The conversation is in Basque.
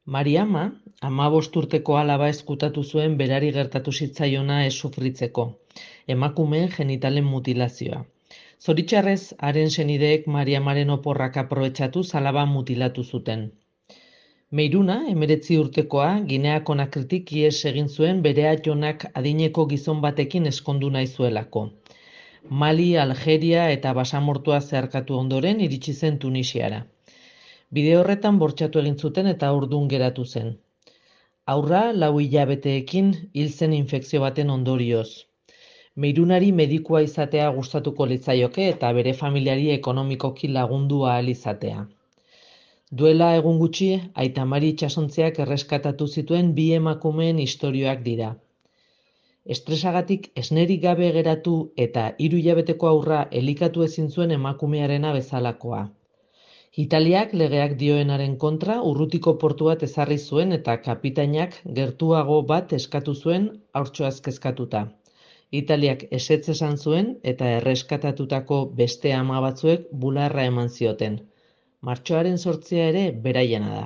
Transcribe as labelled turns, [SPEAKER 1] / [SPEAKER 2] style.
[SPEAKER 1] Mariama, 15 urteko alaba ezkutatu zuen berari gertatu zitzaiona ez sufritzeko, emakumeen genitalen mutilazioa. Zoritxarrez, haren senideek Mariamaren oporrak aprobetxatuz alaba mutilatu zuten. Meiruna, 19 urtekoa, Ginea Konakritik ihes egin zuen bere aitonak adineko gizon batekin ezkondu nahi zuelako. Mali, Algeria eta basamortua zeharkatu ondoren iritsi zen Tunisiara. Bide horretan bortxatu egin zuten eta haurdun geratu zen. Haurra 4 hilabeteekin hil zen infekzio baten ondorioz. Meirunari medikua izatea gustatuko litzaioke eta bere familiari ekonomikoki lagundu ahal izatea. Duela egun gutxi, aita Mari itsasontziak erreskatatu zituen 2 emakumeen istorioak dira. Estresagatik esnerik gabe geratu eta 3 hilabeteko haurra elikatu ezin zuen emakumearena bezalakoa. Italiak legeak dioenaren kontra Urrutiko portu bat ezarri zuen eta kapitainak gertuago bat eskatu zuen haurtxoaz kezkatuta. Italiak ezetz esan zuen eta erreskatatutako beste 10 batzuek bularra eman zioten. Martxoaren 8 ere beraiena da.